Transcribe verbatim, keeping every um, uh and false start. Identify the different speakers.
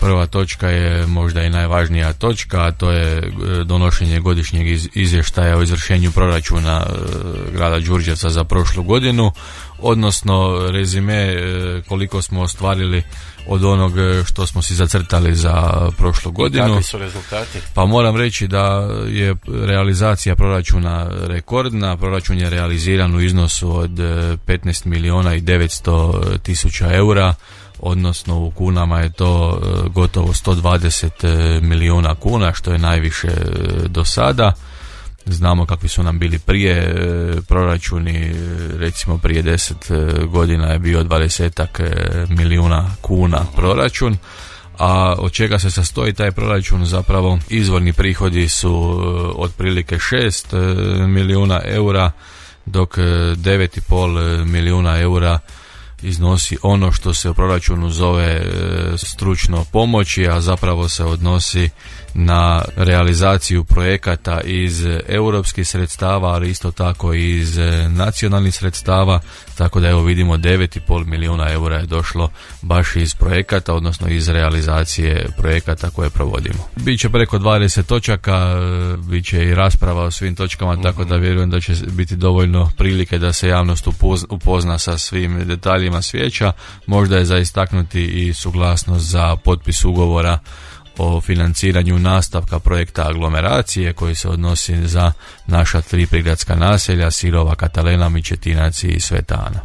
Speaker 1: Prva točka je možda i najvažnija točka, a to je donošenje godišnjeg izvještaja o izvršenju proračuna grada Đurđevca za prošlu godinu, odnosno rezime koliko smo ostvarili od onog što smo si zacrtali za prošlu godinu.
Speaker 2: Kakvi su rezultati?
Speaker 1: Pa moram reći da je realizacija proračuna rekordna. Proračun je realiziran u iznosu od petnaest milijuna i devetsto tisuća eura, odnosno u kunama je to gotovo sto dvadeset milijuna kuna, što je najviše do sada. Znamo kakvi su nam bili prije proračuni, recimo prije deset godina je bio dvadesetak milijuna kuna proračun, a od čega se sastoji taj proračun? Zapravo izvorni prihodi su otprilike šest milijuna eura, dok devet i pol milijuna eura iznosi ono što se u proračunu zove stručno pomoći, a zapravo se odnosi na realizaciju projekata iz europskih sredstava, ali isto tako i iz nacionalnih sredstava, tako da evo vidimo devet i pol milijuna eura je došlo baš iz projekata, odnosno iz realizacije projekata koje provodimo. Biće preko dvadeset točaka, bit će i rasprava o svim točkama, mm-hmm. tako da vjerujem da će biti dovoljno prilike da se javnost upozna sa svim detaljima vijeća. Možda je za istaknuti i suglasnost za potpis ugovora o financiranju nastavka projekta aglomeracije koji se odnosi za naša tri prigradska naselja Sirova, Katalena, Mičetinac i Sveta Ana.